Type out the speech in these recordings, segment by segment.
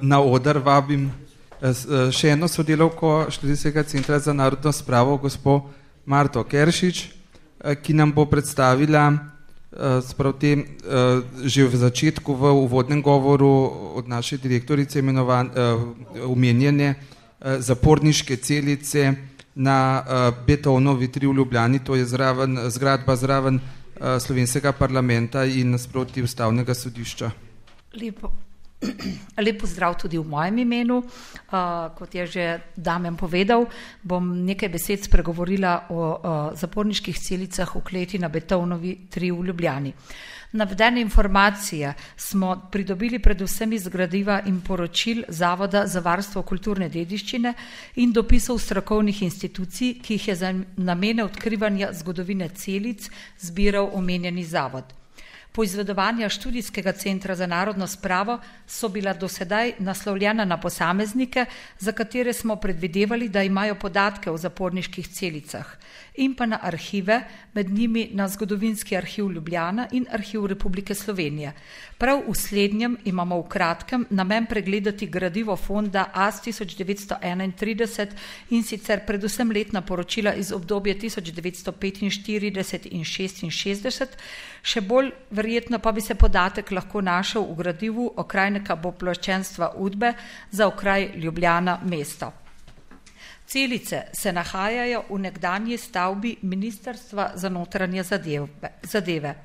Na oder vabim še eno sodelavko Študijskega centra za narodno spravo, gospo Marto Keršič, ki nam bo predstavila že v začetku v uvodnem govoru od naše direktorice omenjene zaporniške celice na Beethovnovi 3 v Ljubljani, to je zgradba zraven slovenskega parlamenta in nasproti ustavnega sodišča. Lep pozdrav tudi v mojem imenu. Kot je že Damjan povedal, bom nekaj besed spregovorila o zaporniških celicah v kleti na Beethovnovi 3 v Ljubljani. Navedene informacije smo pridobili predvsem iz gradiva in poročil Zavoda za varstvo kulturne dediščine in dopisov strokovnih institucij, ki jih je za namene odkrivanja zgodovine celic zbiral omenjeni zavod. Poizvedovanja Študijskega centra za narodno spravo so bila dosedaj naslovljena na posameznike, za katere smo predvidevali, da imajo podatke o zaporniških celicah, in pa na arhive, med njimi na Zgodovinski arhiv Ljubljana in Arhiv Republike Slovenije. Prav v slednjem imamo v kratkem namen pregledati gradivo fonda AS 1931 in sicer predvsem letna poročila iz obdobja 1945 in 66, še bolj verjetno pa bi se podatek lahko našel v gradivu okrajnika pooblaščenstva Udbe za okraj Ljubljana mesto. Celice se nahajajo v nekdanji stavbi Ministrstva za notranje zadeve.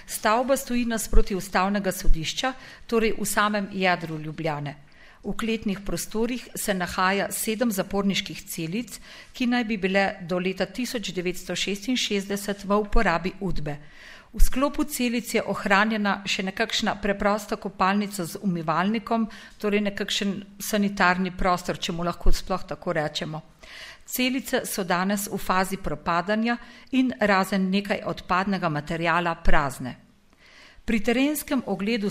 Stavba stoji nasproti ustavnega sodišča, torej v samem jedru Ljubljane. V kletnih prostorih se nahaja 7 zaporniških celic, ki naj bi bile do leta 1966 v uporabi Udbe. V sklopu celic je ohranjena še nekakšna preprosta kopalnica z umivalnikom, torej nekakšen sanitarni prostor, če mu lahko sploh tako rečemo. Celice so danes v fazi propadanja in razen nekaj odpadnega materijala prazne. Pri terenskem ogledu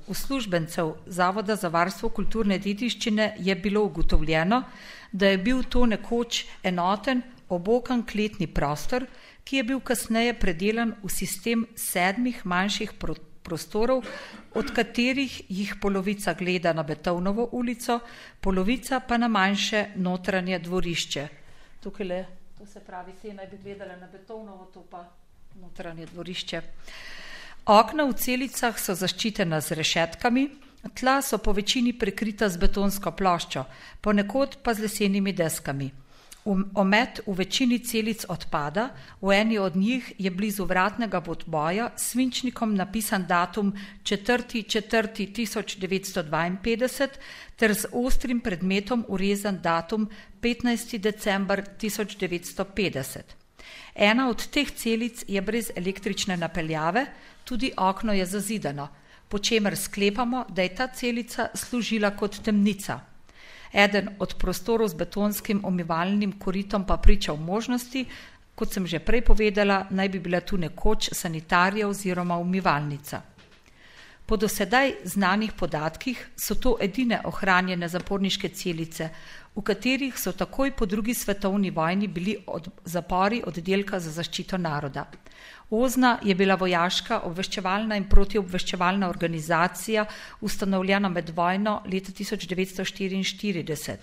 uslužbencev Zavoda za varstvo kulturne dediščine je bilo ugotovljeno, da je bil to nekoč enoten, obokan kletni prostor, ki je bil kasneje predelan v sistem 7 manjših prostorov, od katerih jih polovica gleda na Beethovnovo ulico, polovica pa na manjše notranje dvorišče. Tukaj, to se pravi, te naj bi gledale na Beethovnovo, to pa notranje dvorišče. Okna v celicah so zaščitena z rešetkami, tla so po večini prekrita z betonsko ploščo, ponekod pa z lesenimi deskami. Omet v večini celic odpada, v eni od njih je blizu vratnega podboja s svinčnikom napisan datum 4.4.1952 ter z ostrim predmetom urezan datum 15. december 1950. Ena od teh celic je brez električne napeljave, tudi okno je zazidano, po čemer sklepamo, da je ta celica služila kot temnica. Eden od prostorov z betonskim umivalnim koritom pa priča v možnosti, kot sem že prej povedala, naj bi bila tu nekoč sanitarija oziroma umivalnica. Po dosedaj znanih podatkih so to edine ohranjene zaporniške celice, v katerih so takoj po 2. svetovni vojni bili zapori oddelka za zaščito naroda. Ozna je bila vojaška obveščevalna in protiobveščevalna organizacija, ustanovljena med vojno leta 1944.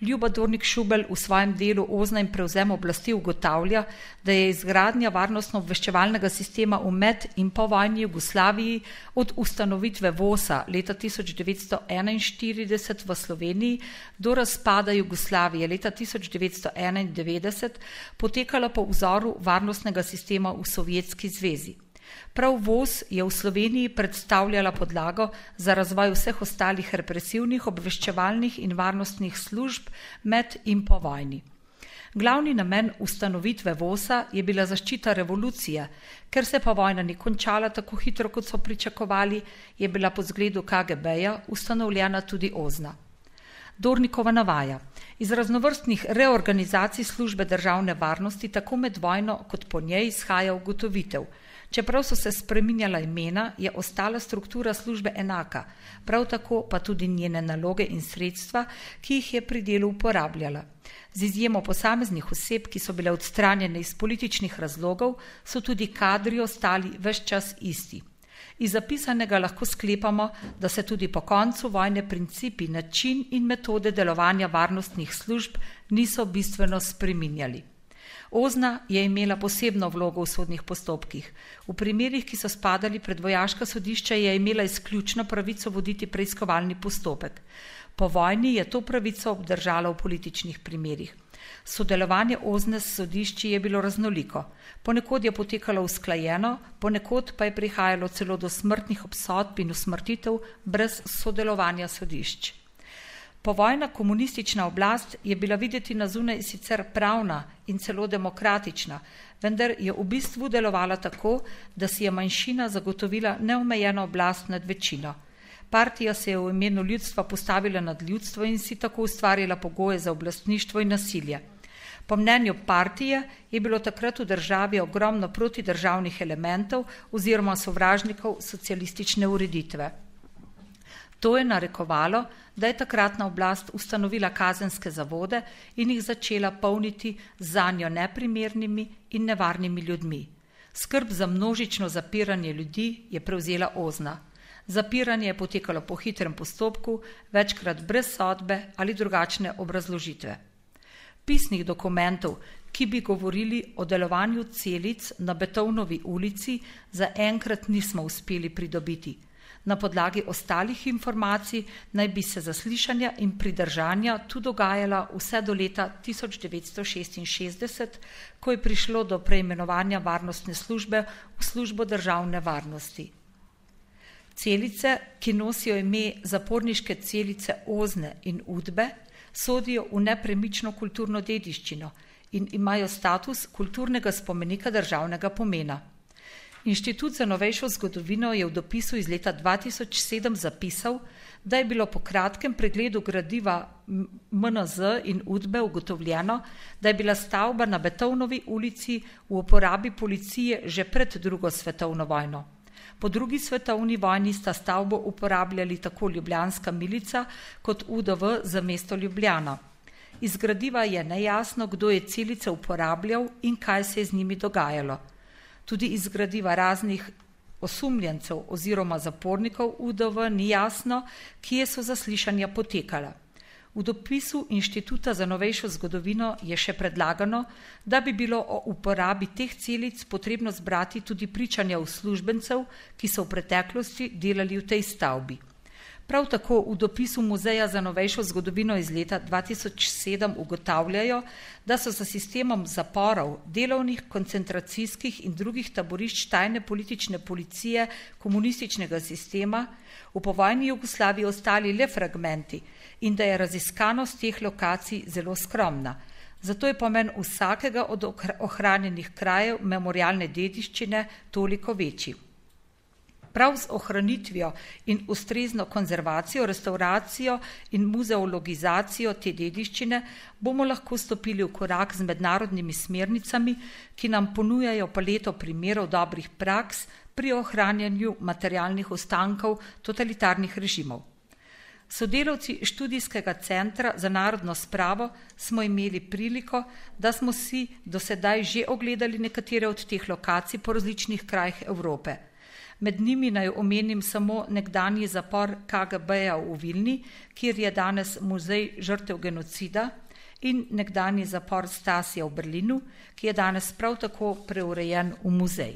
Ljuba Dornik Šubelj v svojem delu Ozna in prevzem oblasti ugotavlja, da je izgradnja varnostno-obveščevalnega sistema v med- in povojni Jugoslaviji od ustanovitve VOS-a leta 1941 v Sloveniji do razpada Jugoslavije leta 1991 potekala po vzoru varnostnega sistema v Sovjetski zvezi. Prav VOS je v Sloveniji predstavljala podlago za razvoj vseh ostalih represivnih, obveščevalnih in varnostnih služb med in po vojni. Glavni namen ustanovitve VOS-a je bila zaščita revolucije, ker se pa vojna ni končala tako hitro, kot so pričakovali, je bila po zgledu KGB-ja ustanovljena tudi Ozna. Dornikova navaja: iz raznovrstnih reorganizacij službe državne varnosti tako med vojno kot po njej izhaja ugotovitev. Čeprav so se spreminjala imena, je ostala struktura službe enaka, prav tako pa tudi njene naloge in sredstva, ki jih je pri delu uporabljala. Z izjemo posameznih oseb, ki so bile odstranjene iz političnih razlogov, so tudi kadri ostali ves čas isti. Iz zapisanega lahko sklepamo, da se tudi po koncu vojne principi, način in metode delovanja varnostnih služb niso bistveno spreminjali. Ozna je imela posebno vlogo v sodnih postopkih. V primerih, ki so spadali pred vojaška sodišča, je imela izključno pravico voditi preiskovalni postopek. Po vojni je to pravico obdržala v političnih primerih. Sodelovanje Ozne s sodišči je bilo raznoliko. Ponekod je potekalo usklajeno, ponekod pa je prihajalo celo do smrtnih obsodb in usmrtitev brez sodelovanja sodišč. Povojna komunistična oblast je bila videti na zunaj sicer pravna in celo demokratična, vendar je v bistvu delovala tako, da si je manjšina zagotovila neomejeno oblast nad večino. Partija se je v imenu ljudstva postavila nad ljudstvo in si tako ustvarila pogoje za oblastništvo in nasilje. Po mnenju partije je bilo takrat v državi ogromno protidržavnih elementov oziroma sovražnikov socialistične ureditve. To je narekovalo, da je takratna oblast ustanovila kazenske zavode in jih začela polniti zanjo neprimernimi in nevarnimi ljudmi. Skrb za množično zapiranje ljudi je prevzela Ozna. Zapiranje je potekalo po hitrem postopku, večkrat brez sodbe ali drugačne obrazložitve. Pisnih dokumentov, ki bi govorili o delovanju celic na Beethovnovi ulici, zaenkrat nismo uspeli pridobiti. Na podlagi ostalih informacij naj bi se zaslišanja in pridržanja tu dogajala vse do leta 1966, ko je prišlo do preimenovanja varnostne službe v službo državne varnosti. Celice, ki nosijo ime zaporniške celice Ozne in Udbe, sodijo v nepremično kulturno dediščino in imajo status kulturnega spomenika državnega pomena. Inštitut za novejšo zgodovino je v dopisu iz leta 2007 zapisal, da je bilo po kratkem pregledu gradiva MNZ in Udbe ugotovljeno, da je bila stavba na Beethovnovi ulici v uporabi policije že pred drugo svetovno vojno. Po drugi svetovni vojni sta stavbo uporabljali tako ljubljanska milica kot UDV za mesto Ljubljana. Iz gradiva je nejasno, kdo je celice uporabljal in kaj se je z njimi dogajalo. Tudi iz gradiva raznih osumljencev oziroma zapornikov UDV ni jasno, kje so zaslišanja potekala. V dopisu Inštituta za novejšo zgodovino je še predlagano, da bi bilo o uporabi teh celic potrebno zbrati tudi pričanja uslužbencev, ki so v preteklosti delali v tej stavbi. Prav tako v dopisu Muzeja za novejšo zgodovino iz leta 2007 ugotavljajo, da so za sistemom zaporov, delovnih, koncentracijskih in drugih taborišč tajne politične policije komunističnega sistema v povojni Jugoslaviji ostali le fragmenti in da je raziskanost teh lokacij zelo skromna. Zato je pomen vsakega od ohranjenih krajev memorialne dediščine toliko večji. Prav z ohranitvijo in ustrezno konzervacijo, restauracijo in muzeologizacijo te dediščine bomo lahko stopili v korak z mednarodnimi smernicami, ki nam ponujajo paleto primerov dobrih praks pri ohranjanju materialnih ostankov totalitarnih režimov. Sodelavci Študijskega centra za narodno spravo smo imeli priliko, da smo si do sedaj že ogledali nekatere od teh lokacij po različnih krajih Evrope. Med njimi naj omenim samo nekdanji zapor KGB-ja v Vilni, kjer je danes muzej žrtev genocida, in nekdanji zapor Stasija v Berlinu, ki je danes prav tako preurejen v muzej.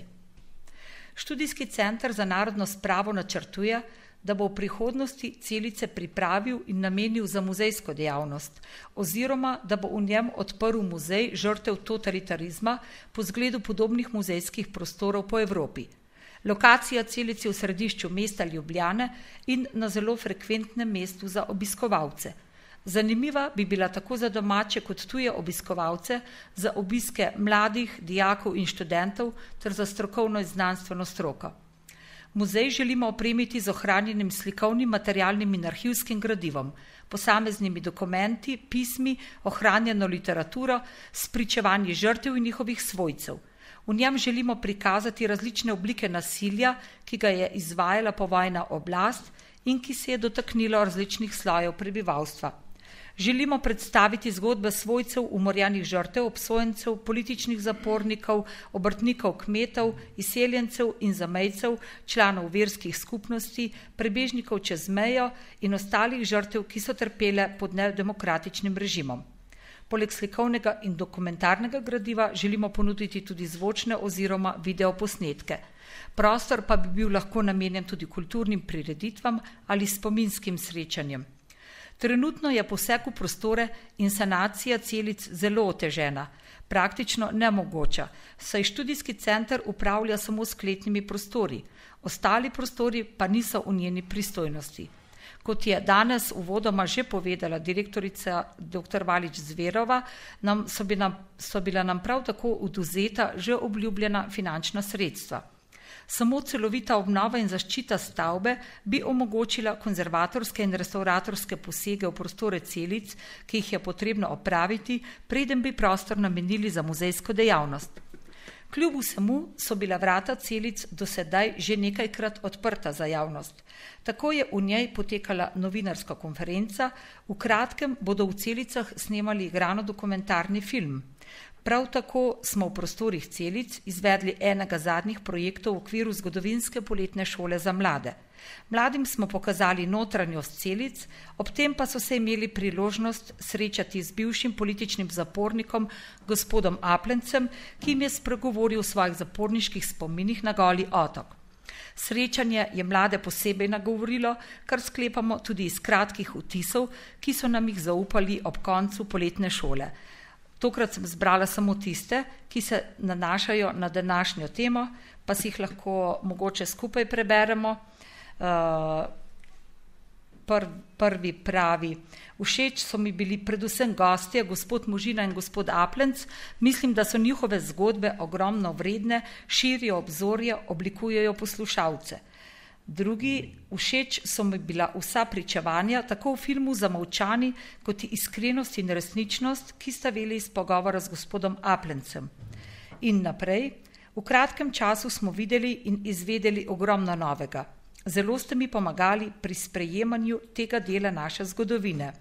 Študijski center za narodno spravo načrtuje, da bo v prihodnosti celice pripravil in namenil za muzejsko dejavnost, oziroma da bo v njem odprl muzej žrtev totalitarizma po zgledu podobnih muzejskih prostorov po Evropi. Lokacija celice v središču mesta Ljubljane in na zelo frekventnem mestu za obiskovalce. Zanimiva bi bila tako za domače kot tuje obiskovalce, za obiske mladih, dijakov in študentov ter za strokovno in znanstveno stroko. Muzej želimo opremiti z ohranjenim slikovnim, materialnim in arhivskim gradivom, posameznimi dokumenti, pismi, ohranjeno literaturo, spričevanji žrtev in njihovih svojcev. V njem želimo prikazati različne oblike nasilja, ki ga je izvajala povojna oblast in ki se je dotaknilo različnih slojev prebivalstva. Želimo predstaviti zgodbe svojcev umorjenih žrtev, obsojencev, političnih zapornikov, obrtnikov, kmetov, izseljencev in zamejcev, članov verskih skupnosti, prebežnikov čez mejo in ostalih žrtev, ki so trpele pod nedemokratičnim režimom. Poleg slikovnega in dokumentarnega gradiva želimo ponuditi tudi zvočne oziroma videoposnetke. Prostor pa bi bil lahko namenjen tudi kulturnim prireditvam ali spominskim srečanjem. Trenutno je poseg v prostore in sanacija celic zelo otežena, praktično nemogoča, saj študijski center upravlja samo s kletnimi prostori, ostali prostori pa niso v njeni pristojnosti. Kot je danes uvodoma že povedala direktorica dr. Valič Zverova, so bila nam prav tako odvzeta že obljubljena finančna sredstva. Samo celovita obnova in zaščita stavbe bi omogočila konzervatorske in restauratorske posege v prostore celic, ki jih je potrebno opraviti, preden bi prostor namenili za muzejsko dejavnost. Kljub vsemu so bila vrata celic do sedaj že nekajkrat odprta za javnost. Tako je v njej potekala novinarska konferenca, v kratkem bodo v celicah snemali igrano-dokumentarni film. Prav tako smo v prostorih celic izvedli enega zadnjih projektov v okviru zgodovinske poletne šole za mlade. Mladim smo pokazali notranjost celic, ob tem pa so se imeli priložnost srečati z bivšim političnim zapornikom gospodom Aplencem, ki jim je spregovoril o svojih zaporniških spominih na Goli otok. Srečanje je mlade posebej nagovorilo, kar sklepamo tudi iz kratkih vtisov, ki so nam jih zaupali ob koncu poletne šole. Tokrat sem zbrala samo tiste, ki se nanašajo na današnjo temo, pa si jih lahko mogoče skupaj preberemo. Prvi pravi: všeč so mi bili predvsem gostje, gospod Možina in gospod Aplenc. Mislim, da so njihove zgodbe ogromno vredne, širijo obzorje, oblikujejo poslušalce. Drugi: všeč so mi bila vsa pričevanja, tako v filmu Zamolčani, kot iskrenost in resničnost, ki sta veli iz pogovora z gospodom Aplencem. In naprej: v kratkem času smo videli in izvedeli ogromno novega. Zelo ste mi pomagali pri sprejemanju tega dela naše zgodovine.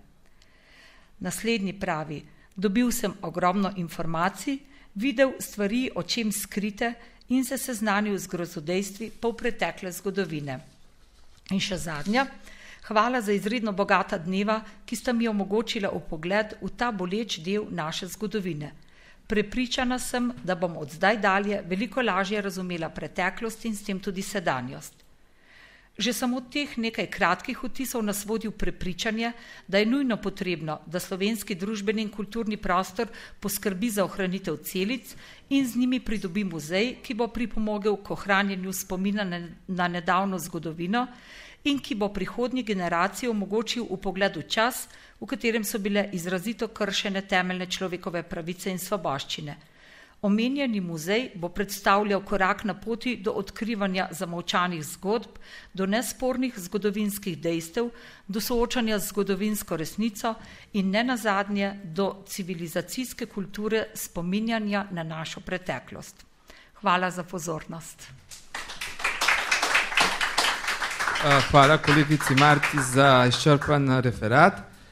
Naslednji pravi: dobil sem ogromno informacij, videl stvari o čem skrite in se seznanil z grozodejstvi polpretekle zgodovine. In še zadnja: hvala za izredno bogata dneva, ki sta mi omogočila vpogled v ta boleč del naše zgodovine. Prepričana sem, da bom od zdaj dalje veliko lažje razumela preteklost in s tem tudi sedanjost. Že samo teh nekaj kratkih vtisov nas vodi v prepričanje, da je nujno potrebno, da slovenski družbeni in kulturni prostor poskrbi za ohranitev celic in z njimi pridobi muzej, ki bo pripomogel k ohranjanju spomina na nedavno zgodovino in ki bo prihodnji generaciji omogočil vpogled v čas, v katerem so bile izrazito kršene temeljne človekove pravice in svoboščine. Omenjeni muzej bo predstavljal korak na poti do odkrivanja zamolčanih zgodb, do nespornih zgodovinskih dejstev, do soočanja z zgodovinsko resnico in nenazadnje do civilizacijske kulture spominjanja na našo preteklost. Hvala za pozornost. Hvala kolegici Marti za izčrpan referat.